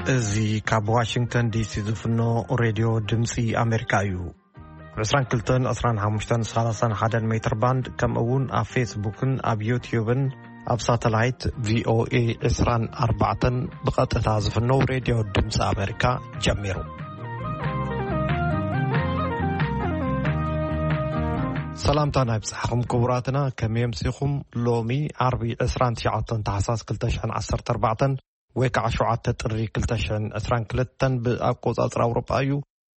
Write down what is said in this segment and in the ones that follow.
እዚ ካብ ዋሽንግተን ዲሲ ዝፍኖ ሬድዮ ድምፂ ኣሜሪካ እዩ። ብ22፣ 25፣ 31 ሜትር ባንድ፣ ከምኡ እውን ኣብ ፌስቡክን ኣብ ዩትዩብን ኣብ ሳተላይት ቪኦኤ 24 ብቐጥታ ዝፍነው ሬድዮ ድምፂ ኣሜሪካ ጀሚሩ። ሰላምታ ናይ ብጻሕኹም ክቡራትና፣ ከመይ ኣምሲኹም? ሎሚ ዓርቢ 29 ታሕሳስ 2014 ወይ ከዓ 7 ጥሪ 2022 ብኣቆጻጽራ ኣውሮጳ እዩ።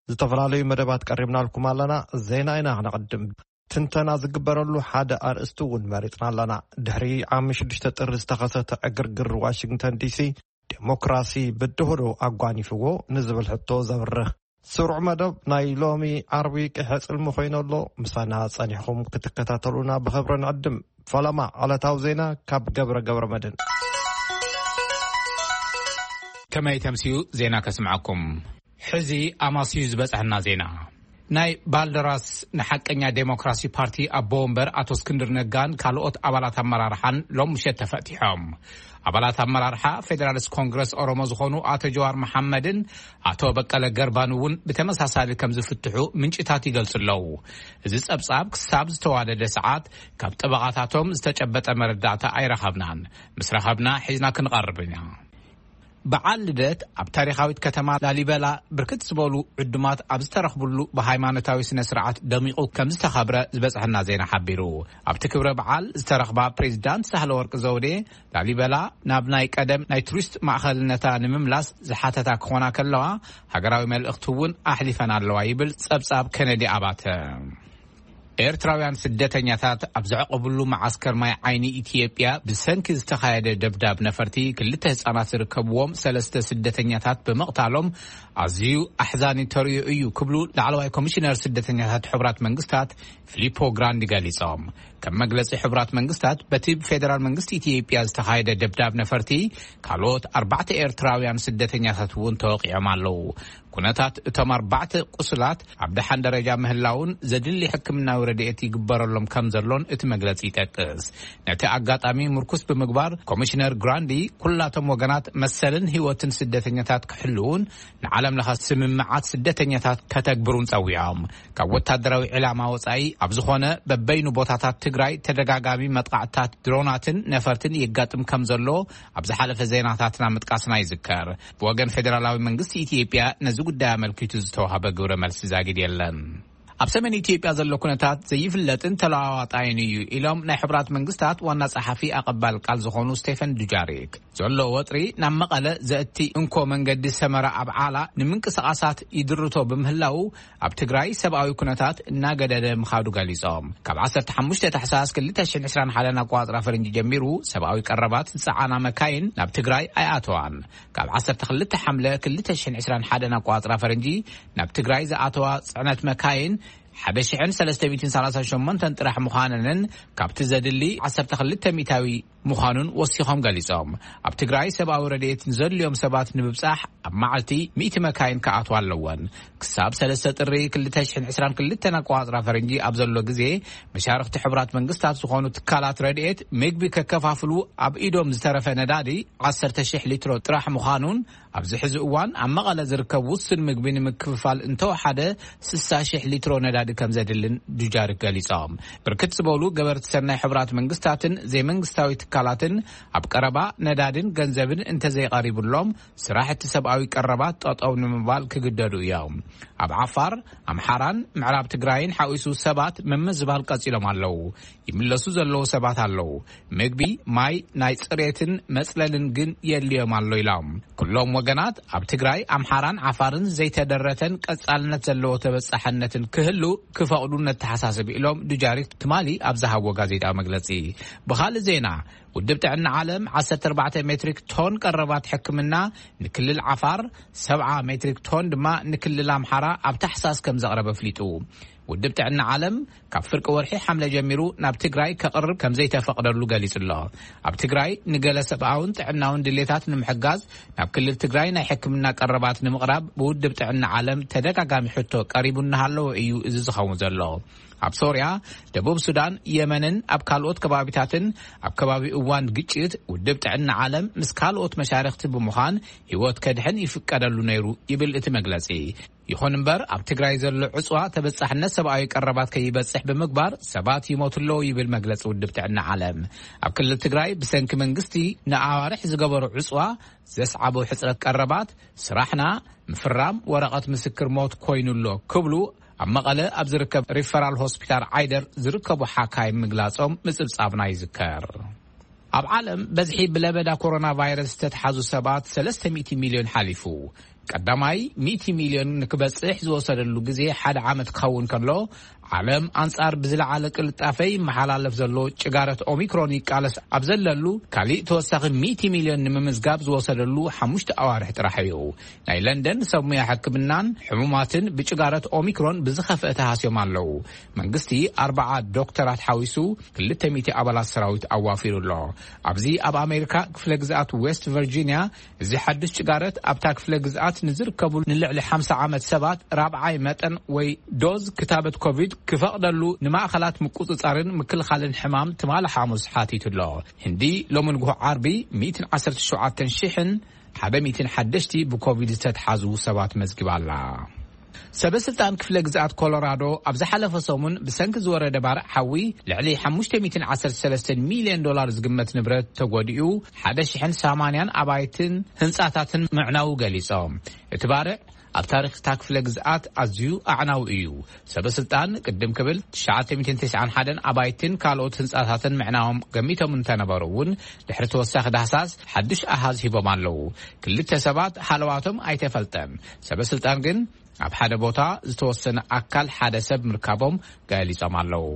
ዝተፈላለዩ መደባት ቀሪብናልኩም ኣለና። ዜና ኢና ክነቐድም። ትንተና ዝግበረሉ ሓደ ኣርእስቲ እውን መሪጽና ኣለና። ድሕሪ ዓሚ 6 ጥሪ ዝተኸሰተ ዕግርግር ዋሽንግተን ዲሲ፣ ዴሞክራሲ ብድሆዶ ኣጓኒፍዎ ንዝብል ሕቶ ዘብርህ ስሩዕ መደብ ናይ ሎሚ ዓርቢ ቅሐ ጽልሚ ኮይኑ ኣሎ። ምሳና ጸኒሕኩም ክትከታተሉና ብኽብሪ ንዕድም። ፈለማ ዕለታዊ ዜና ካብ ገብረ ገብረ መድህን። ከመይ ተምስዩ ዜና ከስምዓኩም። ሕዚ ኣማስዩ ዝበጽሐና ዜና። ናይ ባልደራስ ንሓቀኛ ዴሞክራሲ ፓርቲ ኣቦ ወንበር ኣቶ እስክንድር ነጋን ካልኦት ኣባላት ኣመራርሓን ሎም ምሸት ተፈቲሖም። ኣባላት ኣመራርሓ ፌደራሊስት ኮንግረስ ኦሮሞ ዝኾኑ ኣቶ ጀዋር መሓመድን ኣቶ በቀለ ገርባን እውን ብተመሳሳሊ ከም ዝፍትሑ ምንጭታት ይገልጹ ኣለዉ። እዚ ጸብጻብ ክሳብ ዝተዋደደ ሰዓት ካብ ጠበቓታቶም ዝተጨበጠ መረዳእታ ኣይረኸብናን። ምስ ረኸብና ሒዝና ክንቐርብ ኢና። በዓል ልደት ኣብ ታሪኻዊት ከተማ ላሊበላ ብርክት ዝበሉ ዕዱማት ኣብ ዝተረኽብሉ ብሃይማኖታዊ ስነ ስርዓት ደሚቑ ከም ዝተኸብረ ዝበጽሐና ዜና ሓቢሩ። ኣብቲ ክብረ በዓል ዝተረኽባ ፕሬዚዳንት ሳህለወርቅ ዘውዴ፣ ላሊበላ ናብ ናይ ቀደም ናይ ቱሪስት ማእኸልነታ ንምምላስ ዝሓተታ ክኾና ከለዋ፣ ሃገራዊ መልእኽቲ እውን ኣሕሊፈን ኣለዋ ይብል ጸብጻብ ከነዲ ኣባተ። ኤርትራውያን ስደተኛታት ኣብ ዘዕቆብሉ መዓስከር ማይ ዓይኒ ኢትዮጵያ ብሰንኪ ዝተኻየደ ደብዳብ ነፈርቲ ክልተ ህጻናት ዝርከብዎም ሰለስተ ስደተኛታት ብምቕታሎም ኣዝዩ ኣሕዛኒ ተርእዮ እዩ ክብሉ ላዕለዋይ ኮሚሽነር ስደተኛታት ሕቡራት መንግስታት ፊሊፖ ግራንዲ ገሊጾም። ከም መግለጺ ሕቡራት መንግስታት፣ በቲ ብፌደራል መንግስቲ ኢትዮጵያ ዝተኻየደ ደብዳብ ነፈርቲ ካልኦት ኣርባዕተ ኤርትራውያን ስደተኛታት እውን ተወቂዖም ኣለዉ። ኩነታት እቶም ኣርባዕተ ቁስላት ኣብ ደሓን ደረጃ ምህላውን ዘድሊ ሕክምናዊ ረድኤት ይግበረሎም ከም ዘሎን እቲ መግለጺ ይጠቅስ። ነቲ ኣጋጣሚ ምርኩስ ብምግባር ኮሚሽነር ግራንዲ ኩላቶም ወገናት መሰልን ህይወትን ስደተኛታት ክሕልውን ንዓለም ለኸ ስምምዓት ስደተኛታት ከተግብሩን ጸዊዖም። ካብ ወታደራዊ ዕላማ ወጻኢ ኣብ ዝኾነ በበይኑ ቦታታት ትግራይ ተደጋጋሚ መጥቃዕትታት ድሮናትን ነፈርትን የጋጥም ከም ዘሎ ኣብ ዝሓለፈ ዜናታትና ምጥቃስና ይዝከር። ብወገን ፌደራላዊ መንግስቲ ኢትዮጵያ ነዚ ጉዳይ ኣመልኪቱ ዝተዋህበ ግብረ መልሲ ዛጊድ የለን። ኣብ ሰሜን ኢትዮጵያ ዘሎ ኩነታት ዘይፍለጥን ተለዋዋጣይን እዩ ኢሎም ናይ ሕቡራት መንግስታት ዋና ጸሓፊ ኣቐባል ቃል ዝኾኑ ስቴፈን ዱጃሪክ፣ ዘሎ ወጥሪ ናብ መቐለ ዘእቲ እንኮ መንገዲ ሰመራ ኣብ ዓላ ንምንቅስቓሳት ይድርቶ ብምህላው ኣብ ትግራይ ሰብኣዊ ኩነታት እናገደደ ምኻዱ ገሊጾም። ካብ 15 ታሕሳስ 2021 ኣቋጽራ ፈረንጂ ጀሚሩ ሰብኣዊ ቀረባት ዝጸዓና መካይን ናብ ትግራይ ኣይኣተዋን። ካብ 12 ሓምለ 2021 ኣቋጽራ ፈረንጂ ናብ ትግራይ ዝኣተዋ ጽዕነት መካይን 1,338 ጥራሕ ምዃነንን ካብቲ ዘድሊ 12 ሚእታዊ ምዃኑን ወሲኾም ገሊጾም። ኣብ ትግራይ ሰብኣዊ ረድኤት ንዘድልዮም ሰባት ንምብጻሕ ኣብ መዓልቲ ሚእቲ መካይን ክኣትዋ ኣለወን። ክሳብ 3 ጥሪ 2022 ኣቋጽራ ፈረንጂ ኣብ ዘሎ ግዜ፣ መሻርኽቲ ሕቡራት መንግስታት ዝኾኑ ትካላት ረድኤት ምግቢ ከከፋፍሉ ኣብ ኢዶም ዝተረፈ ነዳዲ 10,000 ሊትሮ ጥራሕ ምዃኑን፣ ኣብዚ ሕዚ እዋን ኣብ መቐለ ዝርከብ ውሱን ምግቢ ንምክፍፋል እንተወሓደ 60,000 ሊትሮ ነዳዲ ከም ዘድልን ዱጃሪክ ገሊጾም። ብርክት ዝበሉ ገበርቲ ሰናይ ሕቡራት መንግስታትን ዘይመንግስታዊ ትካላትን ኣብ ቀረባ ነዳድን ገንዘብን እንተዘይቐሪቡሎም፣ ስራሕ እቲ ሰብኣዊ ቀረባት ጠጠው ንምባል ክግደዱ እዮም። ኣብ ዓፋር፣ ኣምሓራን ምዕራብ ትግራይን ሓዊሱ ሰባት ምምዝባል ቀጺሎም ኣለዉ። ይምለሱ ዘለዉ ሰባት ኣለዉ። ምግቢ፣ ማይ፣ ናይ ጽሬትን መጽለልን ግን የድልዮም ኣሎ ኢሎም። ኩሎም ወገናት ኣብ ትግራይ፣ ኣምሓራን ዓፋርን ዘይተደረተን ቀጻልነት ዘለዎ ተበጻሕነትን ክህሉ ክፈቕዱ ነተሓሳስብ ኢሎም ዱጃሪክ ትማሊ ኣብ ዝሃብዎ ጋዜጣዊ መግለጺ። ብኻልእ ዜና፣ ውድብ ጥዕና ዓለም 14 ሜትሪክ ቶን ቀረባት ሕክምና ንክልል ዓፋር፣ 70 ሜትሪክ ቶን ድማ ንክልል ኣምሓራ ኣብ ታሕሳስ ከም ዘቕረበ ኣፍሊጡ። ውድብ ጥዕና ዓለም ካብ ፍርቂ ወርሒ ሓምለ ጀሚሩ ናብ ትግራይ ከቕርብ ከም ዘይተፈቕደሉ ገሊጹ ኣሎ። ኣብ ትግራይ ንገለ ሰብኣውን ጥዕናውን ድሌታት ንምሕጋዝ ናብ ክልል ትግራይ ናይ ሕክምና ቀረባት ንምቕራብ ብውድብ ጥዕና ዓለም ተደጋጋሚ ሕቶ ቀሪቡ እናሃለወ እዩ እዚ ዝኸውን ዘሎ። ኣብ ሶርያ፣ ደቡብ ሱዳን፣ የመንን ኣብ ካልኦት ከባቢታትን ኣብ ከባቢ እዋን ግጭት ውድብ ጥዕና ዓለም ምስ ካልኦት መሻርክቲ ብምዃን ህይወት ከድሕን ይፍቀደሉ ነይሩ ይብል እቲ መግለጺ። ይኹን እምበር፣ ኣብ ትግራይ ዘሎ ዕጽዋ ተበጻሕነት ሰብኣዊ ቀረባት ከይበጽሕ ብምግባር ሰባት ይሞቱ ኣለዉ ይብል መግለጺ ውድብ ጥዕና ዓለም። ኣብ ክልል ትግራይ ብሰንኪ መንግስቲ ንኣዋርሕ ዝገበሩ ዕጽዋ ዘስዓቦ ሕጽረት ቀረባት፣ ስራሕና ምፍራም ወረቐት ምስክር ሞት ኮይኑ ኣሎ ክብሉ ኣብ መቐለ ኣብ ዝርከብ ሪፈራል ሆስፒታል ዓይደር ዝርከቡ ሓካይም ምግላጾም ምጽብጻብና ይዝከር። ኣብ ዓለም በዝሒ ብለበዳ ኮሮና ቫይረስ ዝተትሓዙ ሰባት ሰለስተ ሚእቲ ሚልዮን ሓሊፉ። ቀዳማይ ሚእቲ ሚልዮን ንክበጽሕ ዝወሰደሉ ግዜ ሓደ ዓመት ክኸውን ከሎ፣ ዓለም ኣንጻር ብዝለዓለ ቅልጣፈ ይመሓላለፍ ዘሎ ጭጋረት ኦሚክሮን ይቃለስ ኣብ ዘለሉ፣ ካሊእ ተወሳኺ ሚእቲ ሚልዮን ንምምዝጋብ ዝወሰደሉ ሓሙሽተ ኣዋርሕ ጥራሕ እዩ። ናይ ለንደን ሰብ ሙያ ሕክምናን ሕሙማትን ብጭጋረት ኦሚክሮን ብዝኸፍአ ተሃስዮም ኣለዉ። መንግስቲ ኣርባዓ ዶክተራት ሓዊሱ ክልተ ሚእቲ ኣባላት ሰራዊት ኣዋፊሩ ኣሎ። ኣብዚ ኣብ ኣሜሪካ ክፍለ ግዝኣት ዌስት ቨርጂንያ፣ እዚ ሓድሽ ጭጋረት ኣብታ ክፍለ ግዝኣት ንዝርከቡ ንልዕሊ ሓምሳ ዓመት ሰባት ራብዓይ መጠን ወይ ዶዝ ክታበት ኮቪድ ክፈቕደሉ ንማእኸላት ምቁጽጻርን ምክልኻልን ሕማም ትማሊ ሓሙስ ሓቲቱ ኣሎ። ህንዲ ሎሚ ንግሆ ዓርቢ ሚእትን ዓሰርተ ሸውዓተን ሽሕን ሓደ ሚእትን ሓደሽቲ ብኮቪድ ዝተትሓዙ ሰባት መዝጊባ ኣላ። ሰበ ስልጣን ክፍለ ግዝኣት ኮሎራዶ ኣብ ዝሓለፈ ሰሙን ብሰንኪ ዝወረደ ባርዕ ሓዊ ልዕሊ ሓሙሽተ ሚእትን ዓሰርተ ሰለስተን ሚልዮን ዶላር ዝግመት ንብረት ተጎዲኡ፣ ሓደ ሽሕን ሰማንያን ኣባይትን ህንጻታትን ምዕናዉ ገሊጾም። እቲ ባርዕ ኣብ ታሪኽ እታ ክፍለ ግዝኣት ኣዝዩ ኣዕናዊ እዩ። ሰበ ስልጣን ቅድም ክብል ትሽዓተ ሚእትን ተስዓን ሓደን ኣባይትን ካልኦት ህንጻታትን ምዕናዎም ገሚቶም እንተነበሩ እውን፣ ድሕሪ ተወሳኺ ዳህሳስ ሓድሽ ኣሃዝ ሂቦም ኣለዉ። ክልተ ሰባት ሃለዋቶም ኣይተፈልጠን። ሰበ ስልጣን ግን ኣብ ሓደ ቦታ ዝተወሰነ ኣካል ሓደ ሰብ ምርካቦም ገሊጾም ኣለዉ።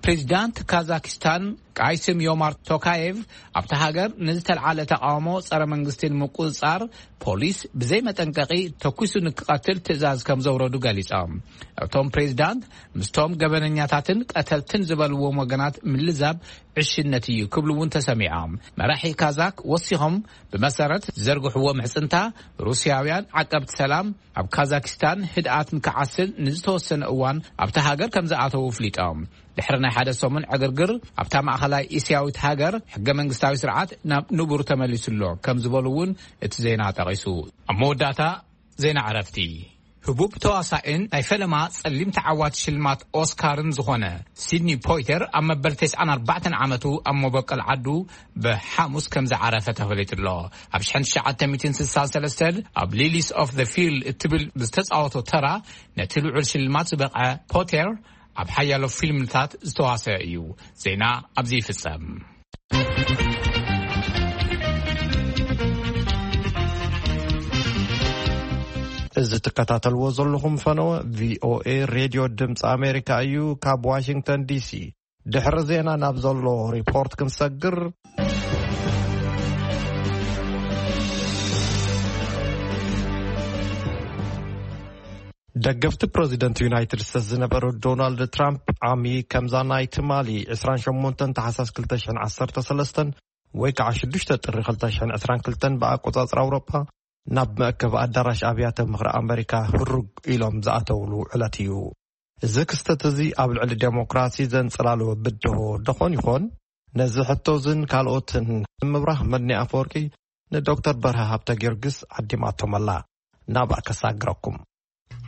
ፕሬዚዳንት ካዛኪስታን ቃይስም ዮማር ቶካየቭ ኣብታ ሃገር ንዝተልዓለ ተቃውሞ ጸረ መንግስቲ ንምቁጽጻር ፖሊስ ብዘይ መጠንቀቂ ተኩሱ ንክቐትል ትእዛዝ ከም ዘውረዱ ገሊጾም። እቶም ፕሬዚዳንት ምስቶም ገበነኛታትን ቀተልትን ዝበልዎም ወገናት ምልዛብ ዕሽነት እዩ ክብሉ እውን ተሰሚዖም። መራሒ ካዛክ ወሲኾም ብመሰረት ዝዘርግሕዎ ምሕጽንታ፣ ሩስያውያን ዓቀብቲ ሰላም ኣብ ካዛኪስታን ህድኣት ንክዓስል ንዝተወሰነ እዋን ኣብታ ሃገር ከም ዝኣተዉ ኣፍሊጦም። ድሕሪ ናይ ሓደ ሰሙን ዕግርግር ኣብታ ማእኸላይ እስያዊት ሃገር ሕገ መንግስታዊ ስርዓት ናብ ንቡር ተመሊሱ ኣሎ ከም ዝበሉ እውን እቲ ዜና ጠቒሱ። ኣብ መወዳእታ ዜና ዕረፍቲ። ህቡብ ተዋሳኤን ናይ ፈለማ ጸሊም ተዓዋቲ ሽልማት ኦስካርን ዝኾነ ሲድኒ ፖይተር ኣብ መበል ተስዓን ኣርባዕተን ዓመቱ ኣብ መበቆል ዓዱ ብሓሙስ ከም ዝዓረፈ ተፈሊጡ ኣሎ። ኣብ ሽሕን ትሽዓተ ሚእትን ስሳን ሰለስተን ኣብ ሊሊስ ኦፍ ዘ ፊልድ እትብል ዝተጻወቶ ተራ ነቲ ልዑል ሽልማት ዝበቕዐ ፖተር ኣብ ሓያሎ ፊልምታት ዝተዋሰ እዩ። ዜና ኣብዚ ይፍጸም። እዚ ትከታተልዎ ዘለኹም ፈነወ ቪኦኤ ሬድዮ ድምፂ ኣሜሪካ እዩ። ካብ ዋሽንግተን ዲሲ ድሕሪ ዜና ናብ ዘሎ ሪፖርት ክንሰግር፣ ደገፍቲ ፕረዚደንት ዩናይትድ ስቴትስ ዝነበሩ ዶናልድ ትራምፕ ዓሚ ከምዛ ናይ ትማሊ ዕስራን ሸሞንተን ታሕሳስ ክልተ ሽሕን ዓሰርተ ሰለስተን ወይ ከዓ ሽዱሽተ ጥሪ ክልተ ሽሕን ዕስራን ክልተን ብኣቆጻጽራ ኣውሮጳ ናብ መእከቢ ኣዳራሽ ኣብያተ ምኽሪ ኣመሪካ ህሩግ ኢሎም ዝኣተውሉ ዕለት እዩ። እዚ ክስተት እዚ ኣብ ልዕሊ ዴሞክራሲ ዘንጸላልወ ብድሆ ደኾን ይኾን? ነዚ ሕቶ ዝን ካልኦትን ንምብራህ መድኒ ኣፈወርቂ ንዶክተር በርሀ ሃብተ ጊዮርጊስ ዓዲማቶም ኣላ። ናብኣ ከሳግረኩም።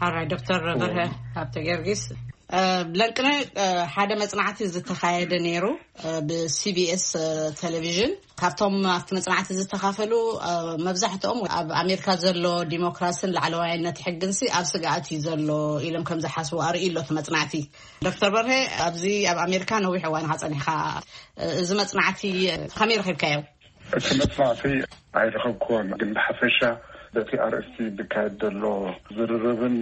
ሓራይ ዶክተር በርሀ ሃብተ ጊዮርጊስ፣ እ፣ ለንቅነ፣ እ፣ ሓደ መጽናዕቲ ዝተኻየደ ነይሩ፣ እ፣ ብሲቢኤስ፣ እ፣ ቴሌቪዥን። ካብቶም ኣብቲ መጽናዕቲ ዝተኻፈሉ፣ እ፣ መብዛሕትኦም ኣብ ኣሜሪካ ዘሎ ዲሞክራስን ላዕለዋይነት ሕግንሲ ኣብ ስግኣት እዩ ዘሎ ኢሎም ከም ዝሓስቡ ኣርእዩ ኣሎ እቲ መጽናዕቲ። ዶክተር በርሀ፣ ኣብዚ ኣብ ኣሜሪካ ነዊሕ እዋን ኢኻ ጸኒሕካ፣ እ፣ እዚ መጽናዕቲ ከመይ ረኺብካዮ? እቲ መጽናዕቲ ኣይረኸብክዎን፣ ግን ብሓፈሻ በቲ ኣርእስቲ ዝካየድ ዘሎ ዝርርብን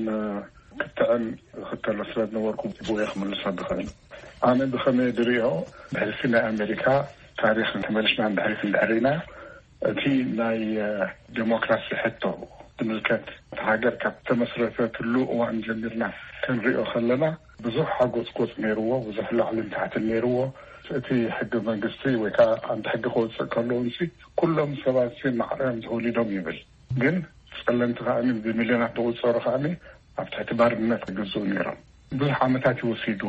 ክትዕን ዝኽተሎ ስለ ዝነበርኩ ብኡ እየ ክምልሶ ዝኽእል። ኣነ ብኸመይ ዝርእዮ፣ ብሕልፊ ናይ ኣሜሪካ ታሪኽ ተመሊስና እንድሕሪ ክንድሕር ኢና፣ እቲ ናይ፣ እ፣ ዴሞክራሲ ሕቶ ዝምልከት፣ እቲ ሃገር ካብ ተመስረተትሉ እዋን ጀሚርና ክንሪኦ ከለና፣ ብዙሕ ሓጎጽጎጽ ነይርዎ፣ ብዙሕ ላዕልን ታሕትን ነይርዎ። እቲ ሕገ መንግስቲ ወይ ከዓ ዓንዲ ሕጊ ክወጽእ ከለውንሲ፣ ኩሎም ሰባት ሲ ማዕረም ተወሊዶም ይብል። ግን ጸለምቲ ከኣኒ ብሚልዮናት ዝቑጸሩ ከኣኒ ኣብ ትሕቲ ባርነት ይግዝኡ ነይሮም። ብዙሕ ዓመታት እዩ ወሲዱ።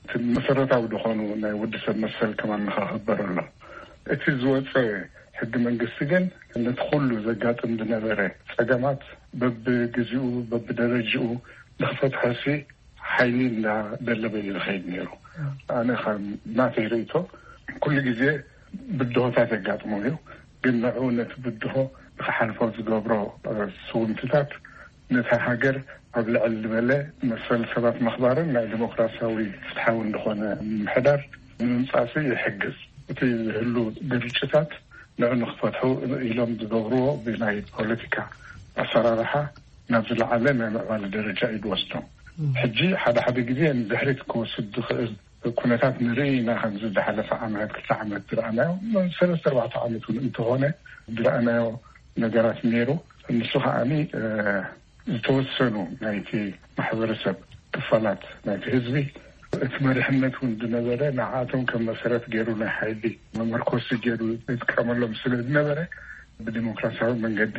እቲ መሰረታዊ ዝኾኑ ናይ ወዲ ሰብ መሰል ከማን ንኸኽበር ኣሎ። እቲ ዝወፀ ሕጊ መንግስቲ ግን ነቲ ኩሉ ዘጋጥም ዝነበረ ፀገማት በብግዚኡ በብደረጅኡ ንኽፈትሖሲ ሓይሊ እንዳደለበ እዩ ዝኸይድ ነይሩ። ኣነ ከም ናተይ ርእይቶ ኩሉ ግዜ ብድሆታት የጋጥሞ እዩ። ግን ንዕኡ ነቲ ብድሆ ንክሓልፎ ዝገብሮ ስውምትታት ነታ ሃገር ኣብ ልዕል ዝበለ መሰል ሰባት ምኽባርን ናይ ዲሞክራሲያዊ ፍትሓዊ እንደኾነ ምምሕዳር ንምምፃእሲ ይሕግዝ። እቲ ዝህሉ ግርጭታት ንዑ ንክፈትሑ ኢሎም ዝገብርዎ ብናይ ፖለቲካ ኣሰራርሓ ናብ ዝለዓለ ናይ ምዕባለ ደረጃ እዩ ዝወስዶም። ሕጂ ሓደ ሓደ ግዜ ንድሕሪት ክወስድ ዝኽእል ኩነታት ንርኢ ኢና። ከምዚ ዝሓለፈ ዓመት ክልተ ዓመት ዝረኣናዮ ሰለስተ ኣርባዕተ ዓመት እውን እንተኾነ ዝረኣናዮ ነገራት ነይሩ። ንሱ ከዓኒ ዝተወሰኑ ናይቲ ማሕበረሰብ ክፋላት ናይቲ ህዝቢ እቲ መሪሕነት እውን ዝነበረ ንዓኣቶም ከም መሰረት ገይሩ ናይ ሓይሊ መመርኮሲ ገይሩ ዝጥቀመሎም ስለ ዝነበረ ብዲሞክራሲያዊ መንገዲ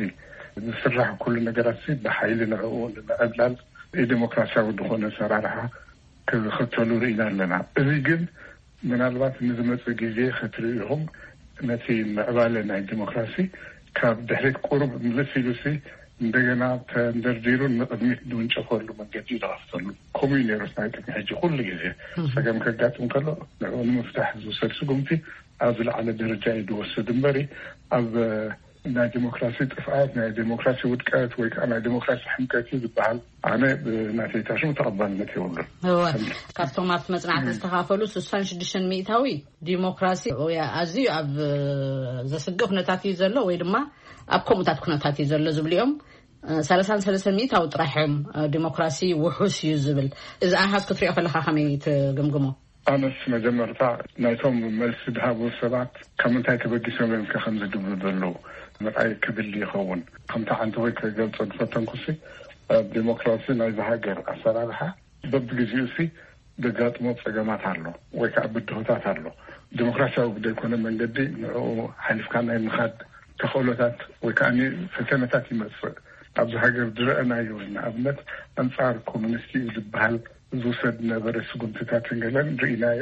ዝስራሕ ኩሉ ነገራት ብሓይሊ ንዕኡ ንምዕብላል ዲሞክራሲያዊ ዝኾነ ኣሰራርሓ ክኽተሉ ርኢና ኣለና። እዚ ግን ምናልባት ንዝመፅእ ግዜ ክትርእዩ ኢኹም። ነቲ ምዕባለ ናይ ዲሞክራሲ ካብ ድሕሪት ቁሩብ ምልስ ኢሉሲ እንደገና ተንደርዲሩ ንቕድሚት ዝውንጨፈሉ መንገዲ እዩ ዝኸፍተሉ። ከምኡ እዩ ነይሩ ናይ ቅድሚ ሕጂ ኩሉ ግዜ ፀገም ከጋጥም ከሎ ንኡ ንምፍታሕ ዝውሰድ ስጉምቲ ኣብ ዝለዓለ ደረጃ እዩ ዝወስድ እምበሪ ኣብ ናይ ዲሞክራሲ ጥፍኣት ናይ ዲሞክራሲ ውድቀት ወይ ከዓ ናይ ዲሞክራሲ ሕምቀት እዩ ዝበሃል ኣነ ብናተይታ ሽም ተቐባልነት የብሉን። ካብቶም ኣብቲ መፅናዕቲ ዝተኻፈሉ ስሳን ሽዱሽተን ሚእታዊ ዲሞክራሲ ኣዝዩ ኣብ ዘስግእ ኩነታት እዩ ዘሎ ወይ ድማ ኣብ ከምኡታት ኩነታት እዩ ዘሎ ዝብሉ እዮም። ሰላሳን ሰለስተን ሚእታዊ ጥራሕ እዮም ዲሞክራሲ ውሑስ እዩ ዝብል። እዚ ኣሃዝ ክትሪኦ ከለካ ከመይ ትግምግሞ? ኣነስ መጀመርታ ናይቶም መልሲ ዝሃቡ ሰባት ካብ ምንታይ ተበጊሶም እዮም ከ ከምዚ ድብሉ ዘለዉ ምርኣይ ክብል ይኸውን። ከምቲ ዓንተወይ ክገልጾ ዝፈተንኩሲ ኣብ ዲሞክራሲ ናይዚ ሃገር ኣሰራርሓ በብግዜኡ ሲ ዘጋጥሞ ጸገማት ኣሎ ወይ ከዓ ብድሆታት ኣሎ። ዲሞክራሲያዊ ብዘይኮነ መንገዲ ንዕኡ ሓሊፍካ ናይ ምኻድ ተኽእሎታት ወይ ከዓ ፈተነታት ይመጽእ። ኣብዚ ሃገር ዝረአናዮ ንኣብነት ኣንጻር ኮሙኒስት እዩ ዝበሃል ዝውሰድ ነበረ ስጉምትታትን ገለን ርኢናዮ።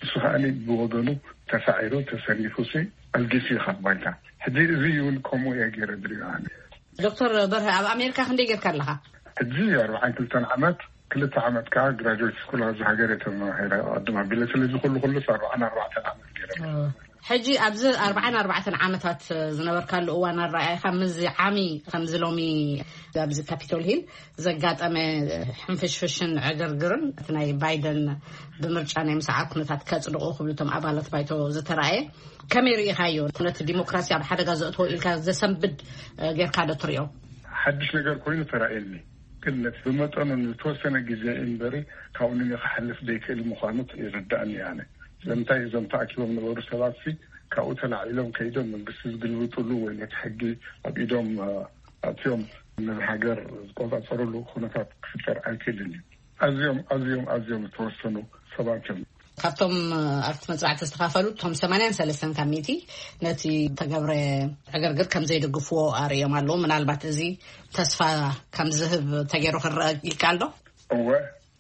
ንሱ ከዓኒ ብወገኑ ተሳዒሩ ተሰኒፉ ሲ ኣልጊሱ እዩ ካብ ባይታ። ሕጂ እዚ እውን ከምኡ እየ ገይረ ዝሪኦ ኣነ። ዶክተር በርሀ ኣብ ኣሜሪካ ክንደይ ጌርካ ኣለኻ? ሕጂ ኣርባዓን ክልተን ዓመት ክልተ ዓመት ከዓ ግራጅዌት ስኩል ኣብዚ ሃገር እየ ተማሂረ ቅድም ኣቢለ ስለዚ ኩሉ ኩሉስ ኣርባዓን ኣርባዕተን ዓመት ገይረ። ሕጂ ኣብዚ ኣርባዓን ኣርባዕተን ዓመታት ዝነበርካሉ እዋን ኣረኣእያኻ ምስዚ ዓሚ ከምዚ ሎሚ ኣብዚ ካፒቶል ሂል ዘጋጠመ ሕንፍሽፍሽን ዕግርግርን እቲ ናይ ባይደን ብምርጫ ናይ ምስዓር ኩነታት ከጽድቑ ክብሉ እቶም ኣባላት ባይቶ ዝተራእየ ከመይ ርኢኻዮ? ነቲ ዲሞክራሲ ኣብ ሓደጋ ዘእትዎ ኢልካ ዘሰንብድ ጌርካ ዶ ትሪኦ? ሓድሽ ነገር ኮይኑ ተራእየኒ፣ ግን ነቲ ብመጠኑ ንዝተወሰነ ግዜ እምበሪ ካብኡ ንንክሓልፍ ዘይክእል ምዃኑ ይርዳእኒ ኣነ። ስለምንታይ እዞም ተኣኪቦም ነበሩ ሰባት ሲ ካብኡ ተላዒሎም ከይዶም መንግስቲ ዝግልብጥሉ ወይ ነቲ ሕጊ ኣብ ኢዶም ኣእትዮም ነዚ ሃገር ዝቆጻጸርሉ ኩነታት ክፍጠር ኣይክእልን እዩ። ኣዝዮም ኣዝዮም ኣዝዮም ዝተወሰኑ ሰባት እዮም። ካብቶም ኣብቲ መፅናዕቲ ዝተኻፈሉ እቶም ሰማንያን ሰለስተን ካብ ሚእቲ ነቲ ተገብረ ዕግርግር ከም ዘይደግፍዎ ኣርእዮም ኣለዉ። ምናልባት እዚ ተስፋ ከም ዝህብ ተገይሩ ክረአ ይከኣል ዶ? እወ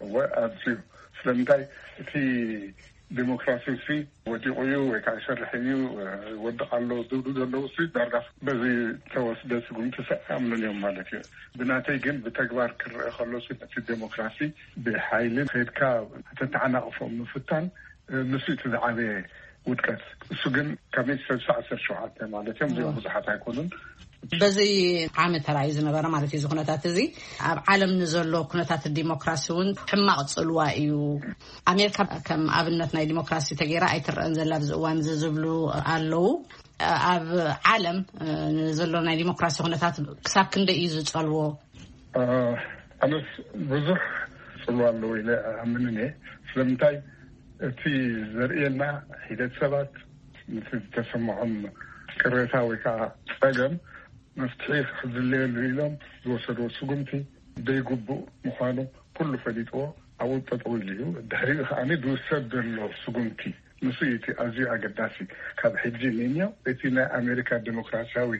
እወ ኣዝዩ። ስለምንታይ እቲ ዲሞክራሲ ሲ ወዲቑ እዩ ወይ ከዓ ይሰርሕ እዩ ይወድቕ ኣሎ ዝብሉ ዘለዉ ሲ ዳርጋ በዚ ተወስደ ስጉምቲ ሲ ኣይኣምኑን እዮም ማለት እዩ። ብናተይ ግን ብተግባር ክረአ ከሎ ሲ ነቲ ዴሞክራሲ ብሓይሊ ከይድካ ከተተዓናቕፎ ምፍታን ንሱ እቲ ዝዓበየ ውድቀት። እሱ ግን ካብ ሚእቲ ሰብሳ ዓሰርተ ሸውዓተ ማለት እዮም። እዚኦም ብዙሓት ኣይኮኑን። በዚ ዓመት ተራእዩ ዝነበረ ማለት እዩ። እዚ ኩነታት እዚ ኣብ ዓለም ንዘሎ ኩነታት ዲሞክራሲ እውን ሕማቕ ፅልዋ እዩ። ኣሜሪካ ከም ኣብነት ናይ ዲሞክራሲ ተገይራ ኣይትረአን ዘላ ኣብዚ እዋን እዚ ዝብሉ ኣለዉ። ኣብ ዓለም ንዘሎ ናይ ዲሞክራሲ ኩነታት ክሳብ ክንደይ እዩ ዝፀልዎ? ኣነስ ብዙሕ ፅልዋ ኣለዎ ኢለ ኣምንን እየ። ስለምንታይ እቲ ዘርእየና ሒደት ሰባት ነቲ ዝተሰምዖም ቅሬታ ወይ ከዓ ፀገም መፍትሒ ክዝለየሉ ኢሎም ዝወሰድዎ ስጉምቲ ዘይግቡእ ምዃኑ ኩሉ ፈሊጥዎ ኣብኡ ጠጠው ኢሉ እዩ። ድሕሪኡ ከዓ ዝውሰድ ዘሎ ስጉምቲ ንሱ እዩ እቲ ኣዝዩ ኣገዳሲ። ካብ ሕጂ ንንዮ እቲ ናይ ኣሜሪካ ዴሞክራሲያዊ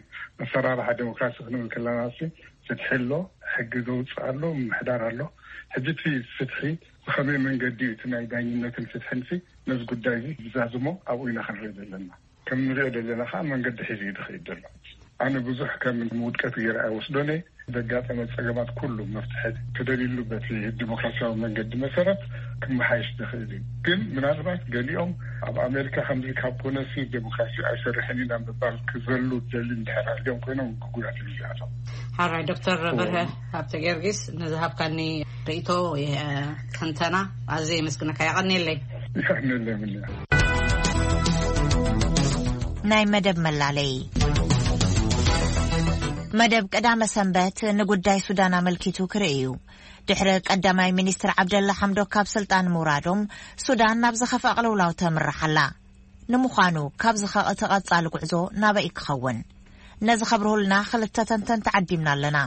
ኣሰራርሓ ዴሞክራሲ ክንብል ከለና፣ ፍትሒ ኣሎ፣ ሕጊ ዘውፅእ ኣሎ፣ ምምሕዳር ኣሎ። ሕጂ እቲ ፍትሒ ብኸመይ መንገዲ እዩ እቲ ናይ ዳኝነትን ፍትሕን ሲ ነዚ ጉዳይ እዚ ዝዛዝሞ ኣብኡ ኢና ክንርኢ ዘለና። ከም ንሪኦ ዘለና ከዓ መንገዲ ሒዙ እዩ ዝኸይድ ዘሎ። ኣነ ብዙሕ ከም ውድቀት ገይረ ኣይወስዶን እየ። ዘጋጠመ ፀገማት ኩሉ መፍትሒ ተደልዩሉ በቲ ዲሞክራሲያዊ መንገዲ መሰረት ክመሓየሽ ዝኽእል እዩ። ግን ምናልባት ገሊኦም ኣብ ኣሜሪካ ከምዚ ካብ ኮነሲ ዴሞክራሲ ኣይሰርሕን ኢና ምባል ክዘሉ ደሊ እንድሕር ኣልዮም ኮይኖም ግጉያት እዮም እዚኣቶም። ሓራይ ዶክተር በርሀ ሃብተ ጊዮርጊስ ንዝሃብካኒ ርእይቶ ትንተና ኣዝየ የመስግነካ። የቐንየለይ። ይኸንለይ ምንያ። ናይ መደብ መላለይ። መደብ ቀዳመ ሰንበት ንጉዳይ ሱዳን ኣመልኪቱ ክርኢ እዩ። ድሕሪ ቀዳማይ ሚኒስትር ዓብደላ ሓምዶክ ካብ ስልጣን ምውራዶም፣ ሱዳን ናብ ዝኸፍአ ቅልውላው ተምርሕ ኣላ። ንምዃኑ ካብዚ ኸ እቲ ቀጻሊ ጉዕዞ ናበይ ክኸውን? ነዚ ከብርሁልና ክልተ ተንተንቲ ዓዲምና ኣለና።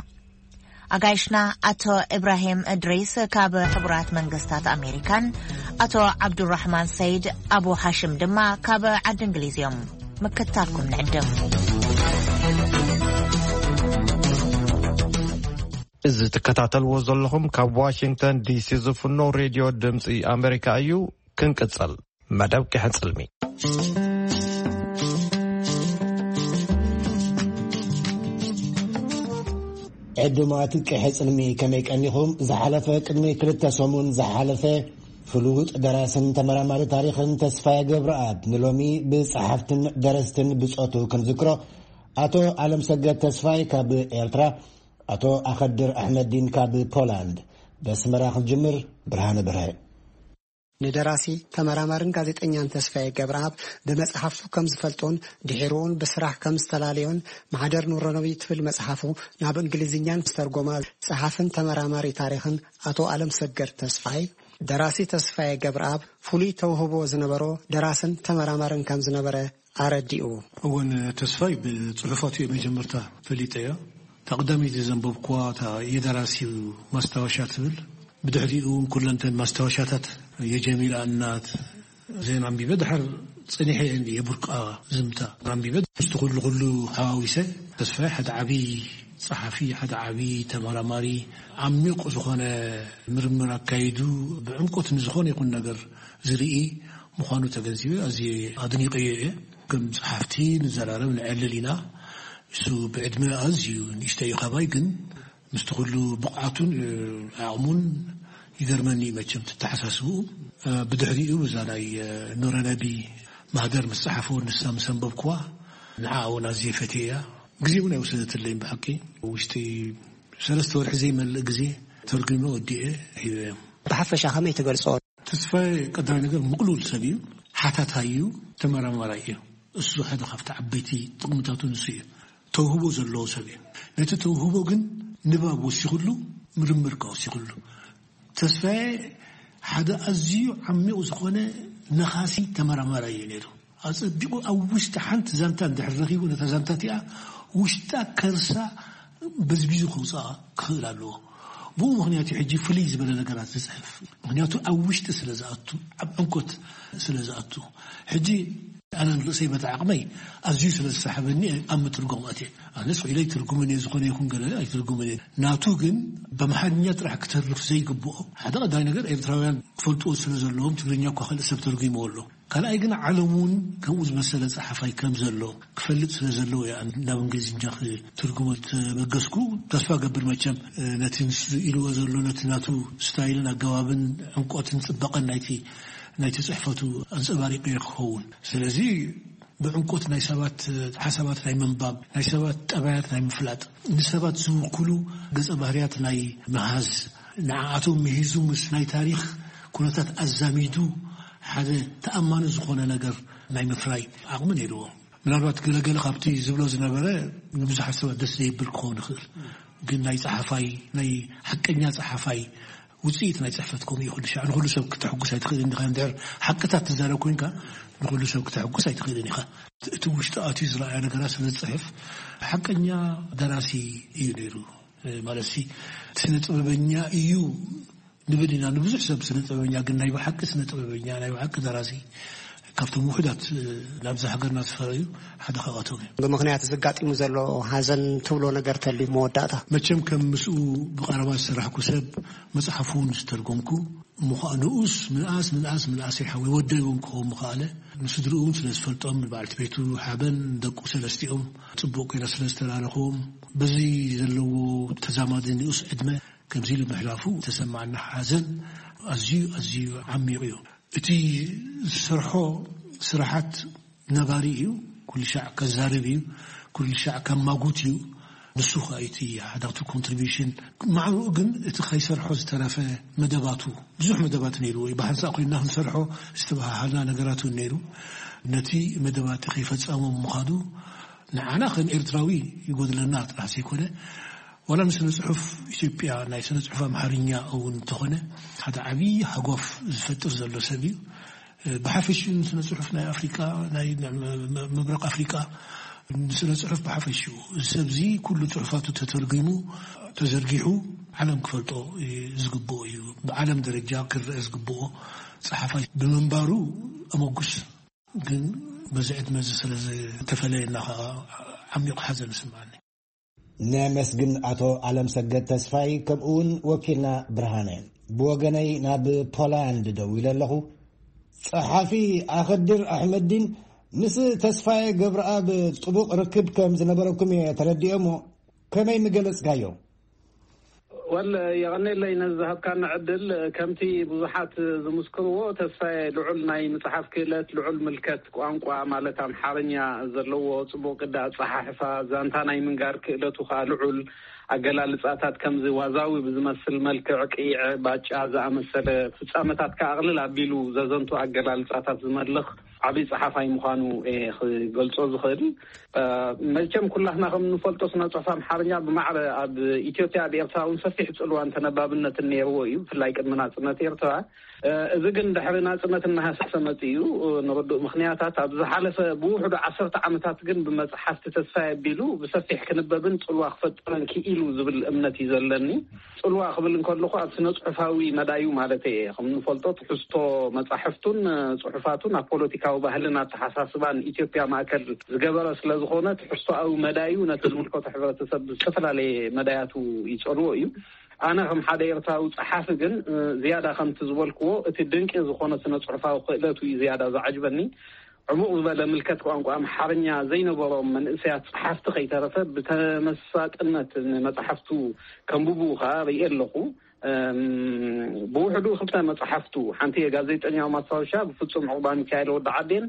ኣጋይሽና ኣቶ ኢብራሂም እድሪስ ካብ ሕቡራት መንግስታት ኣሜሪካን ኣቶ ዓብዱራሕማን ሰይድ ኣቡ ሓሽም ድማ ካብ ዓዲ እንግሊዝ እዮም። ምክትታልኩም ንዕድም። እዚ ትከታተልዎ ዘለኹም ካብ ዋሽንግተን ዲሲ ዝፍኖ ሬድዮ ድምፂ ኣሜሪካ እዩ። ክንቅፅል። መደብ ቅሐ ፅልሚ። ዕዱማት ቅሐ ፅልሚ ከመይ ቀኒኹም? ዝሓለፈ ቅድሚ ክልተ ሰሙን ዝሓለፈ ፍሉጥ ደራስን ተመራማሪ ታሪኽን ተስፋዬ ገብረኣብ ንሎሚ ብጸሓፍትን ደረስትን ብጾቱ ክንዝክሮ ኣቶ ኣለም ሰገድ ተስፋይ ካብ ኤርትራ፣ ኣቶ ኣኸድር ኣሕመዲን ካብ ፖላንድ። በስመራ ክንጅምር። ብርሃነ ብርሀ። ንደራሲ ተመራማርን ጋዜጠኛን ተስፋዬ ገብረኣብ ብመጽሓፍቱ ከም ዝፈልጦን ድሒሩውን ብስራሕ ከም ዝተላለዮን ማህደር ኑረነቢ ትብል መጽሓፉ ናብ እንግሊዝኛን ዝተርጎማ ጸሓፍን ተመራማሪ ታሪኽን ኣቶ ኣለም ሰገድ ተስፋይ፣ ደራሲ ተስፋዬ ገብረኣብ ፍሉይ ተውህቦ ዝነበሮ ደራስን ተመራማርን ከም ዝነበረ ኣረዲኡ። እወን ተስፋይ ብጽሑፋቱ እየ መጀመርታ ፈሊጠዮ። እታ ቀዳመይቲ ዘንበብኩዋ እታ የደራሲው ማስታወሻ ትብል። ብድሕሪኡ እውን ኩለንተን ማስታወሻታት የጀሚላ እናት ዜና ኣንቢበ ድሓር ጸኒሐ እየ የቡርቃ ዝምታ ኣንቢበ ምስቲ ኩሉ ኩሉ ሓዋዊሰ ተስፋይ ሓደ ዓቢ ጸሓፊ፣ ሓደ ዓቢ ተመራማሪ፣ ዓሚቕ ዝኾነ ምርምር ኣካይዱ ብዕምቆት ንዝኾነ ይኹን ነገር ዝርኢ ምዃኑ ተገንዚበ ኣዝየ ኣድኒቐዮ እየ። ከም ጸሓፍቲ ንዘራረብ ንዕልል ኢና። እሱ ብዕድመ ኣዝዩ ንእሽተይ እዩ ካባይ፣ ግን ምስቲ ኩሉ ብቕዓቱን ዓቕሙን ይገርመኒ እዩ መቸም ተተሓሳስብኡ። ብድሕሪኡ እዛ ናይ ኑረነቢ ማህደር ምስ ጸሓፎ ንሳ ምስ ኣንበብኩዋ ንዓ እውን ኣዝየ ፈትየያ። ግዜ እውን ኣይወሰደትለይን ብሓቂ። ውሽጢ ሰለስተ ወርሒ ዘይመልእ ግዜ ተርጉመ ወዲኤ ሂበ። ብሓፈሻ ከመይ ትገልጾ? ተስፋዬ ቀዳማይ ነገር ምቕሉል ሰብ እዩ፣ ሓታታይ እዩ፣ ተመራማራይ እዩ። እሱ ሓደ ካብቲ ዓበይቲ ጥቕምታቱ ንሱ እዩ። ተውህቦ ዘለዎ ሰብ እዩ። ነቲ ተውህቦ ግን ንባብ ወሲኹሉ፣ ምርምር ከኣ ወሲኹሉ። ተስፋዬ ሓደ ኣዝዩ ዓሚቕ ዝኾነ ነኻሲ ተመራማራይ እዩ ነይሩ። ኣጸቢቑ ኣብ ውሽጢ ሓንቲ ዛንታ እንድሕር ረኺቡ ነታ ዛንታ እቲኣ ውሽጣ ከርሳ በዝቢዙ ከውፅኣ ክኽእል ኣለዎ። ብኡ ምኽንያት እዩ ሕጂ ፍልይ ዝበለ ነገራት ዝፅሕፍ። ምኽንያቱ ኣብ ውሽጢ ስለ ዝኣቱ፣ ኣብ ዕምቆት ስለ ዝኣቱ። ሕጂ ኣነ ንርእሰይ በቲ ዓቕመይ ኣዝዩ ስለ ዝሰሓበኒ ኣብ ምትርጓም ኣትየ። ኣነስ ኢለ ኣይትርጉምን እየ፣ ዝኾነ ይኹን ገለ ኣይትርጉምን እየ። ናቱ ግን ብኣምሓርኛ ጥራሕ ክተርፍ ዘይግብኦ፣ ሓደ ቀዳማይ ነገር ኤርትራውያን ክፈልጥዎ ስለ ዘለዎም ትግርኛ እኳ ካልእ ሰብ ተርጒምዎ ኣሎ። ካልኣይ ግን ዓለም እውን ከምኡ ዝመሰለ ጸሓፋይ ከም ዘሎ ክፈልጥ ስለ ዘለዎ እየ ናብ እንግሊዝኛ ክትርጉሞ ተበገስኩ። ተስፋ ገብር መቸም ነቲ ንሱ ኢልዎ ዘሎ ነቲ ናቱ ስታይልን ኣገባብን ዕምቆትን ጽባቐን ናይቲ ናይቲ ጽሕፈቱ ኣንጸባሪቑ ክኸውን። ስለዚ ብዕምቆት ናይ ሰባት ሓሳባት ናይ ምንባብ፣ ናይ ሰባት ጠባያት ናይ ምፍላጥ፣ ንሰባት ዝውክሉ ገጸ ባህርያት ናይ ምሃዝ፣ ንዓኣቶም ምሂዙ ምስ ናይ ታሪኽ ኩነታት ኣዛሚዱ ሓደ ተኣማኒ ዝኾነ ነገር ናይ ምፍራይ ዓቕሚ ነይርዎ። ምናልባት ገለገለ ካብቲ ዝብሎ ዝነበረ ንብዙሓት ሰባት ደስ ዘይብል ክኸውን ይኽእል፣ ግን ናይ ጸሓፋይ፣ ናይ ሓቀኛ ጸሓፋይ ውጽኢት ናይ ጽሕፈት ከምኡ እዩ። ኩሉ ሻዕ ንኹሉ ሰብ ክተሐጉስ ኣይትኽእልን ኢኻ። እንድሕር ሓቅታት ትዛረብ ኮይንካ ንኹሉ ሰብ ክተሐጉስ ኣይትኽእልን ኢኻ። እቲ ውሽጢ ኣትዩ ዝረኣያ ነገራት ስለ ዝጽሕፍ ሓቀኛ ደራሲ እዩ ነይሩ። ማለት ሲ ስነ ጥበበኛ እዩ ንብል ኢና ንብዙሕ ሰብ ስነ ጥበበኛ፣ ግን ናይ ብሓቂ ስነ ጥበበኛ፣ ናይ ብሓቂ ደራሲ ካብቶም ውሑዳት ናብዛ ሃገርና ዝፈረዩ ሓደ ካብኣቶም እዩ። ብምኽንያት ዘጋጢሙ ዘሎ ሓዘን ትብሎ ነገር ተልዩ መወዳእታ? መቸም ከም ምስኡ ብቐረባ ዝሰራሕኩ ሰብ መጽሓፉ እውን ዝተርጎምኩ፣ እሞ ኸኣ ንኡስ ምንኣስ ምንኣስ ምንኣስ ይሓወይ ወደይ እውን ክኸውን ምኽኣለ፣ ንስድርኡ እውን ስለ ዝፈልጦም፣ ንበዓልቲ ቤቱ ሓበን ደቁ ሰለስቲኦም ጽቡቕ ኮይና ስለ ዝተላለኽዎም፣ በዚ ዘለዎ ተዛማዲ ንኡስ ዕድመ ከምዚ ኢሉ ምሕላፉ ተሰማዕና ሓዘን ኣዝዩ ኣዝዩ ዓሚቕ እዩ። እቲ ዝሰርሖ ስራሓት ነባሪ እዩ። ኩሉ ሻዕ ከዛርብ እዩ። ኩሉ ሻዕ ከማጉት እዩ። ንሱ ኸኣ እቲ ሓዳቱ ኮንትሪቢሽን ማዕብኡ ግን እቲ ከይሰርሖ ዝተረፈ መደባቱ ብዙሕ መደባት ነይርዎ እዩ። ብሓንሳእ ኮይንና ክንሰርሖ ዝተባሃሃልና ነገራት እውን ነይሩ። ነቲ መደባት ከይፈጸሞም ምዃኑ ንዓና ከም ኤርትራዊ ይጎድለና ጥራሕ ዘይኮነ፣ ዋላ ንስነ ጽሑፍ ኢትዮጵያ ናይ ስነ ጽሑፍ ኣምሓርኛ እውን እንተኾነ ሓደ ዓብዪ ሃጓፍ ዝፈጥር ዘሎ ሰብ እዩ። ብሓፈሽኡ ንስነ ጽሑፍ ናይ ኣፍሪቃ፣ ናይ ምብራቕ ኣፍሪቃ፣ ንስነ ጽሑፍ ብሓፈሽኡ እዚ ሰብዚ ኩሉ ጽሑፋቱ ተተርጒሙ ተዘርጊሑ ዓለም ክፈልጦ ዝግብኦ እዩ። ብዓለም ደረጃ ክረአ ዝግብኦ ጸሓፋይ ብምንባሩ ኣመጉስ። ግን በዚ ዕድመ እዚ ስለ ዝተፈለየና ከዓ ዓሚቕ ሓዘን ይስምዓኒ። ነመስግን ኣቶ ኣለምሰገድ ተስፋይ፣ ከምኡ እውን ወኪልና ብርሃነ። ብወገነይ ናብ ፖላንድ ደዊለ ኣለኹ። ጸሓፊ ኣኸድር ኣሕመዲን ምስ ተስፋየ ገብረኣብ ጥቡቕ ርክብ ከም ዝነበረኩም እየ ተረዲኤ፣ እሞ ከመይ ምገለጽካዮ? ወል የቐኔለይ ነዚ ዝሃብካና ዕድል። ከምቲ ብዙሓት ዝምስክርዎ፣ ተስፋየ ልዑል ናይ ምጽሓፍ ክእለት፣ ልዑል ምልከት ቋንቋ ማለት ኣምሓርኛ ዘለዎ፣ ጽቡቕ ቅዲ ኣጸሓሕፋ፣ ዛንታ ናይ ምንጋር ክእለቱ ከኣ ልዑል፣ ኣገላልጻታት ከምዚ ዋዛዊ ብዝመስል መልክዕ ቅይዐ ባጫ ዝኣመሰለ ፍጻመታት ከኣ ኣቕልል ኣቢሉ ዘዘንቱ ኣገላልጻታት ዝመልኽ ዓብዪ ጸሓፋይ ምዃኑ እየ ክገልጾ ዝኽእል። መቸም ኩላትና ከም እንፈልጦ ስነ ጽሑፍ ኣምሓርኛ ብማዕረ ኣብ ኢትዮጵያ ኣብ ኤርትራ እውን ሰፊሕ ጽልዋን ተነባብነትን ነይርዎ እዩ፣ ብፍላይ ቅድሚ ናጽነት ኤርትራ። እዚ ግን ድሕሪ ናጽነት እናሃሰሰ መጺኡ ንርዱእ ምኽንያታት። ኣብ ዝሓለፈ ብውሕዱ ዓሰርተ ዓመታት ግን ብመጽሓፍቲ ተስፋይ ኣቢሉ ብሰፊሕ ክንበብን ጽልዋ ክፈጥርን ክኢሉ ዝብል እምነት እዩ ዘለኒ። ጽልዋ ክብል እንከለኹ ኣብ ስነ ጽሑፋዊ መዳዩ ማለት እየ። ከም እንፈልጦ ትሕዝቶ መጻሕፍቱን ጽሑፋቱን ኣብ ፖለቲካዊ ባህልን ኣተሓሳስባን ኢትዮጵያ ማእከል ዝገበረ ስለ ዝኾነ፣ ትሕዝቶኣዊ መዳዩ ነቲ ዝምልከቶ ሕብረተሰብ ብዝተፈላለየ መዳያቱ ይጸልዎ እዩ። ኣነ ከም ሓደ ኤርትራዊ ጸሓፊ ግን ዝያዳ ከምቲ ዝበልክዎ እቲ ድንቂ ዝኾነ ስነ ጽሑፋዊ ክእለቱ እዩ ዝያዳ ዝዓጅበኒ። ዕሙቕ ዝበለ ምልከት ቋንቋ ኣምሓርኛ ዘይነበሮም መንእሰያት ጸሓፍቲ ከይተረፈ ብተመሳጥነት ንመጻሕፍቱ ከንብቡ ከኣ ርእየ ኣለኹ። ብውሕዱ ክልተ መጻሕፍቱ፣ ሓንቲ የጋዜጠኛው ማስታወሻ ብፍጹም ዑቕባ ሚካኤል ወዲ ዓዴን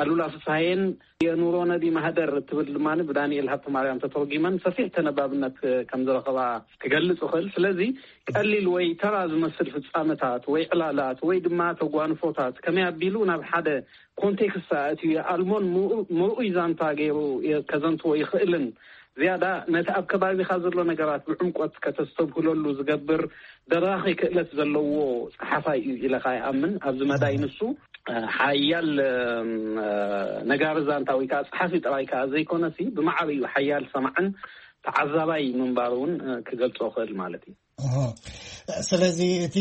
ኣሉላ ፍስሃየን የኑሮ ነቢ ማህደር እትብል ድማ ብዳንኤል ሃብተማርያም ተተርጒመን ሰፊሕ ተነባብነት ከም ዝረኸባ ክገልጽ እኽእል። ስለዚ ቀሊል ወይ ተራ ዝመስል ፍጻመታት ወይ ዕላላት ወይ ድማ ተጓንፎታት ከመይ ኣቢሉ ናብ ሓደ ኮንቴክስት ኣእትዩ የኣልሞን ምርኡይ ዛንታ ገይሩ ከዘንትዎ ይኽእልን ዝያዳ ነቲ ኣብ ከባቢኻ ዘሎ ነገራት ብዕምቆት ከተስተብህለሉ ዝገብር ደራኺ ክእለት ዘለዎ ጸሓፋይ እዩ ኢለ ከኣ ይኣምን። ኣብዚ መዳይ ንሱ ሓያል ነጋሪ ዛንታ ወይ ከዓ ጸሓፊ ጥራይ ከዓ ዘይኮነሲ ብማዕበዩ ሓያል ሰማዕን ተዓዛባይ ምንባሩ እውን ክገልጾ ክእል ማለት እዩ። ስለዚ እቲ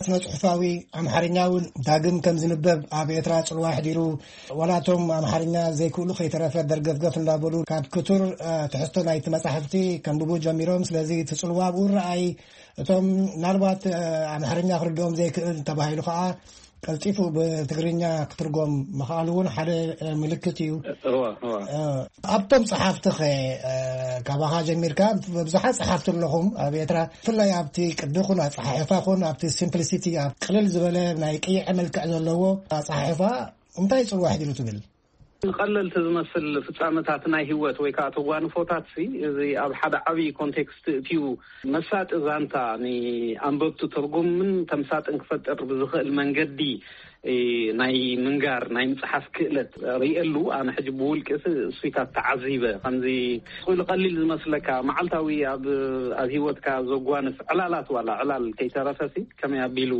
ስነ ጽሑፋዊ ኣምሓርኛ እውን ዳግም ከም ዝንበብ ኣብ ኤርትራ ጽልዋ ኣሕዲሩ፣ ዋላ እቶም ኣምሓርኛ ዘይክእሉ ከይተረፈ ደርገፍገፍ እንዳበሉ ካብ ክቱር ትሕዝቶ ናይቲ መጻሕፍቲ ከንብቡ ጀሚሮም። ስለዚ እቲ ጽልዋ ኣብኡ ረኣይ። እቶም ምናልባት ኣምሓርኛ ክርድኦም ዘይክእል ተባሂሉ ከዓ ቀልጢፉ ብትግርኛ ክትርጎም ምኽኣሉ እውን ሓደ ምልክት እዩ። ኣብቶም ጸሓፍቲ ኸ፣ ካባኻ ጀሚርካ ብዙሓት ጸሓፍቲ ኣለኹም ኣብ ኤርትራ፣ ብፍላይ ኣብቲ ቅዲ ኹን ኣጸሓሕፋ ኹን ኣብቲ ሲምፕሊሲቲ፣ ኣብ ቅልል ዝበለ ናይ ቅይዐ መልክዕ ዘለዎ ኣጸሓሕፋ እንታይ ጽልዋ ኣሕዲሩ ትብል? ቀለልቲ ዝመስል ፍጻመታት ናይ ህይወት ወይ ከዓ ተጓንፎታት ሲ፣ እዚ ኣብ ሓደ ዓብዪ ኮንቴክስት እትዩ መሳጢ ዛንታ ንኣንበብቲ ትርጉምን ተምሳጥን ክፈጥር ብዝኽእል መንገዲ ናይ ምንጋር ናይ ምጽሓፍ ክእለት ርእየሉ። ኣነ ሕጂ ብውልቂ ሲ እሱይታት ተዓዚበ። ከምዚ ስኢሉ ቀሊል ዝመስለካ መዓልታዊ ኣብ ኣብ ህይወትካ ዘጓንፍ ዕላላት ዋላ ዕላል ከይተረፈ ሲ ከመይ ኣቢሉ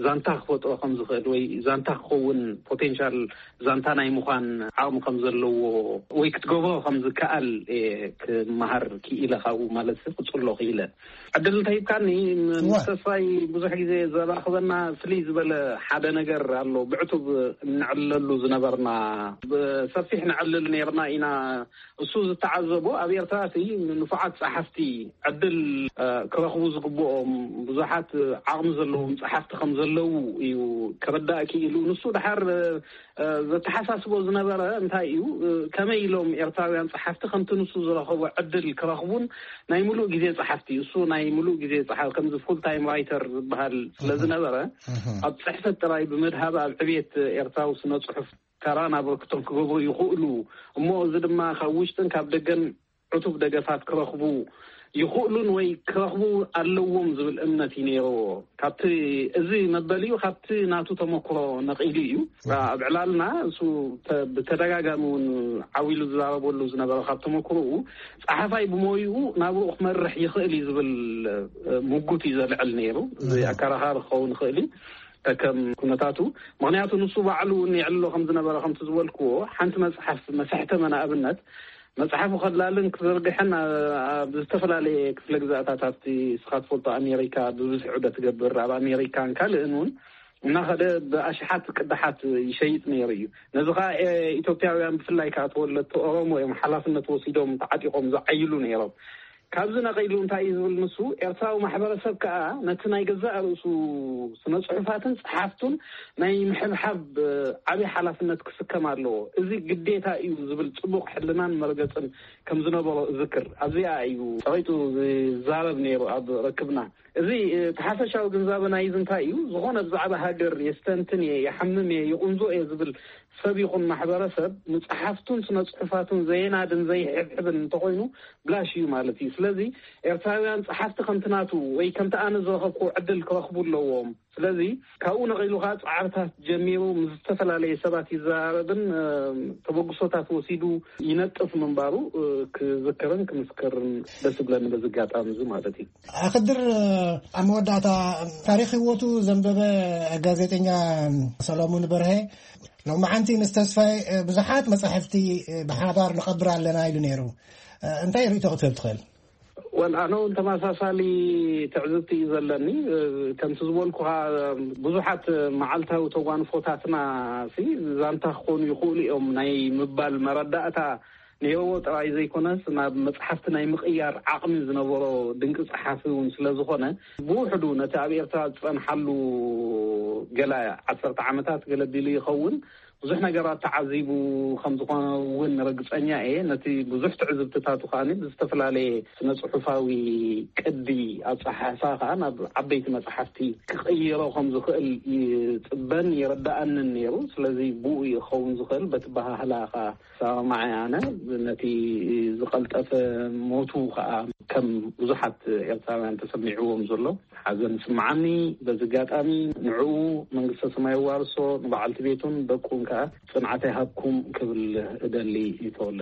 ዛንታ ክፈጥሮ ከም ዝኽእል ወይ ዛንታ ክኸውን ፖቴንሻል ዛንታ ናይ ምዃን ዓቕሚ ከም ዘለዎ ወይ ክትገብሮ ከም ዝከኣል እየ ክመሃር ክኢለ። ካብኡ ማለት ክጽሎ ክኢለ። ዕድል እንተሂብካኒ፣ ምስ ተስፋይ ብዙሕ ግዜ ዘራኽበና ፍልይ ዝበለ ሓደ ነገር ኣሎ። ብዕቱብ እንዕለሉ ዝነበርና፣ ብሰፊሕ ንዕልል ነይርና ኢና። እሱ ዝተዓዘቦ ኣብ ኤርትራ እቲ ንፉዓት ጸሓፍቲ ዕድል ክረኽቡ ዝግብኦም ብዙሓት ዓቕሚ ዘለዎም ጸሓፍቲ ከም ዘለዉ እዩ ክርዳእ ክኢሉ። ንሱ ድሓር ዘተሓሳስቦ ዝነበረ እንታይ እዩ? ከመይ ኢሎም ኤርትራውያን ጸሓፍቲ ከምቲ ንሱ ዝረኸቦ ዕድል ክረኽቡን፣ ናይ ምሉእ ግዜ ጸሓፍቲ፣ እሱ ናይ ምሉእ ግዜ ጸሓ-፣ ከምዚ ፉል ታይም ራይተር ዝበሃል ስለ ዝነበረ፣ ኣብ ጽሕፈት ጥራይ ብምድሃብ ኣብ ዕብየት ኤርትራዊ ስነ ጽሑፍ ተራን ኣበርክቶን ክገብሩ ይኽእሉ። እሞ እዚ ድማ ካብ ውሽጥን ካብ ደገን ዕቱብ ደገፋት ክረኽቡ ይኽእሉን ወይ ክረኽቡ ኣለዎም ዝብል እምነት እዩ ነይርዎ። ካብቲ፣ እዚ መበሊኡ ካብቲ ናቱ ተመክሮ ነቒሉ እዩ። ኣብ ዕላልና እሱ ተ-፣ ብተደጋጋሚ እውን ዓው ኢሉ ዝዛረበሉ ዝነበረ፣ ካብ ተመክሮኡ ጸሓፋይ ብሞይኡ ናብኡ ክመርሕ ይኽእል እዩ ዝብል፣ እ፣ ምጉት እዩ ዘልዕል ነይሩ። እዚ ኣከራኻሪ ክኸውን ይኽእል እዩ ከከም ኩነታቱ። ምኽንያቱ ንሱ ባዕሉ እውን የዕልሎ ከም ዝነበረ፣ ከምቲ ዝበልክዎ፣ ሓንቲ መጽሓፍ መሰሕተመ ንኣብነት መጽሓፉ ከላልን ክዘርግሕን ኣ-፣ ኣብ ዝተፈላለየ ክፍለ ግዛኣታት ኣብቲ ንስኻ ትፈልጦ ኣሜሪካ ብብዝሒ ዑደት ትገብር፣ ኣብ ኣሜሪካን ካልእን እውን እናኸደ ብኣሽሓት ቅዳሓት ይሸይጥ ነይሩ እዩ። ነዚ ኸኣ፣ ኤ፣ ኢትዮጵያውያን ብፍላይ ከኣ ተወለድቲ ኦሮሞ እዮም ሓላፍነት ወሲዶም ተዓጢቖም ዝዓይሉ ነይሮም። ካብዚ ነቒሉ እንታይ እዩ ዝብል ንሱ፣ ኤርትራዊ ማሕበረሰብ ከኣ ነቲ ናይ ገዛእ ርእሱ ስነ ጽሑፋትን ጸሓፍቱን ናይ ምሕብሓብ፣ እ፣ ዓቢ ሓላፍነት ክስከም ኣለዎ። እዚ ግዴታ እዩ ዝብል ጽቡቕ ሕልናን መርገጽን ከም ዝነበሮ እዝክር። ኣብዚኣ እዩ ጸቒጡ ዝዛረብ ነይሩ ኣብ ርክብና። እዚ፣ እ፣ እቲ ሓፈሻዊ ግንዛበ ናይዚ እንታይ እዩ? ዝኾነ ብዛዕባ ሃገር የስተንትን እየ፣ ይሓምም እየ፣ ይቑንዞ እየ ዝብል ሰብ ይኹን ማሕበረሰብ ንጸሓፍቱን ስነ ጽሑፋቱን ዘየናድን ዘይሕብሕብን እንተኾይኑ ብላሽ እዩ ማለት እዩ። ስለዚ ኤርትራውያን ጸሓፍቲ ከምቲ ናቱ ወይ ከምቲ ኣነ ዝረኸብኩ ዕድል ክረኽቡ ኣለዎም። ስለዚ ካብኡ ነቒሉ ኸኣ ጻዕርታት ጀሚሩ ምስ ዝተፈላለየ ሰባት ይዘራረብን፣ እ፣ ተበግሶታት ወሲዱ ይነጥፍ ምንባሩ፣ እ፣ ክዝክርን ክምስክርን ደስ ይብለኒ በዚ ኣጋጣሚ እዚ ማለት እዩ። ኣኽድር፣ ኣብ መወዳእታ ታሪኽ ህይወቱ ዘንበበ ጋዜጠኛ ሰሎሙን በርሀ፣ ሎማዓንቲ ምስ ተስፋይ ብዙሓት መጻሕፍቲ ብሓባር ንቐብር ኣለና ኢሉ ነይሩ። እንታይ ርእይቶ ክትህብ ትኽእል? ወል፣ ኣነ እውን ተመሳሳሊ ትዕዝብቲ እዩ ዘለኒ። ከምቲ ዝበልኩኻ፣ ብዙሓት መዓልታዊ ተጓንፎታትና ሲ ዛንታ ክኾኑ ይኽእሉ እዮም። ናይ ምባል መረዳእታ ነይርዎ ጥራይ ዘይኮነስ፣ ናብ መጽሓፍቲ ናይ ምቕያር ዓቕሚ ዝነበሮ ድንቂ ጸሓፊ እውን ስለ ዝኾነ፣ ብውሕዱ ነቲ ኣብ ኤርትራ ዝጸንሓሉ ገለ ዓሰርተ ዓመታት ገለ ቢሉ ይኸውን፣ ብዙሕ ነገራት ተዓዚቡ ከም ዝኾነ እውን ርግጸኛ እየ። ነቲ ብዙሕ ትዕዝብትታቱ ከኣ ብዝተፈላለየ ስነ ጽሑፋዊ ቅዲ ኣጸሓሕፋ ከኣ ናብ ዓበይቲ መጽሓፍቲ ክቕይሮ ከም ዝኽእል ይጽበን ይርድኣንን ነይሩ። ስለዚ ብኡ እዩ ክኸውን ዝኽእል። በቲ ኣበሃህላ ከኣ ሰማማዕ ኣነ። ነቲ ዝቐልጠፈ ሞቱ ከኣ ከም ብዙሓት ኤርትራውያን ተሰሚዕዎም ዘሎ ሓዘን ይስምዓኒ። በዚ ኣጋጣሚ ንዕኡ መንግስተ ሰማይ የዋርሶ፣ ንበዓልቲ ቤቱን ደቁን ከኣ ጽንዓት ይሃብኩም ክብል እደሊ። ይተወለ።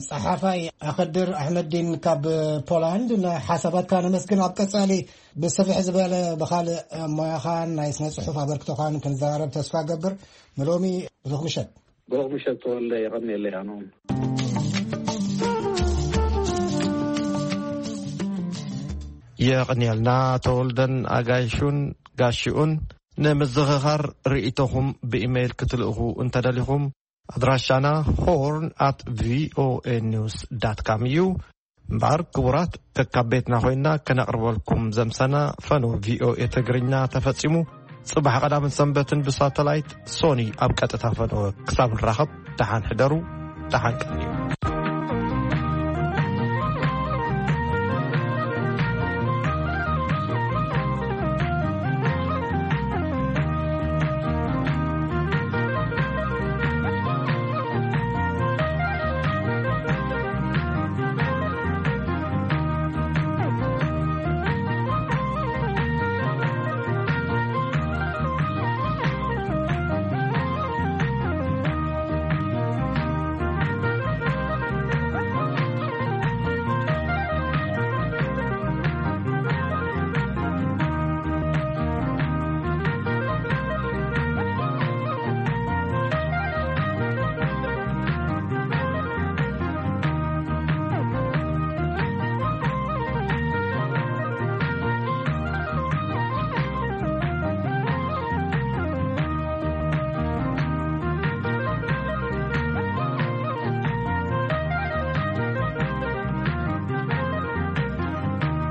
ጸሓፋይ ኣኸድር ኣሕመዲን ካብ ፖላንድ፣ ንሓሳባትካ ነመስግን። ኣብ ቀጻሊ ብስፍሕ ዝበለ ብኻልእ ሞያኻን ናይ ስነ ጽሑፍ ኣበርክቶኻን ክንዘራረብ ተስፋ ገብር። ንሎሚ ብሩኽ ምሸት። ብሩኽ ምሸት ተወልደ፣ የቐንየለይ። ኣነ እውን የቐንየልና። ተወልደን ኣጋይሹን ጋሽኡን። ንምዝኽኻር ርእይቶኹም ብኢሜይል ክትልእኹ እንተደሊኹም፣ ኣድራሻና ሆርን ኣት ቪኦኤ ኒውስ ዳት ካም እዩ። እምበኣር ክቡራት፣ ከካብ ቤትና ኮይንና ከነቕርበልኩም ዘምሰና ፈነወ ቪኦኤ ትግርኛ ተፈጺሙ። ጽባሕ ቀዳምን ሰንበትን ብሳተላይት፣ ሶኒ ኣብ ቀጥታ ፈነወ ክሳብ ንራኸብ፣ ደሓን ሕደሩ፣ ደሓን ቀንዩ።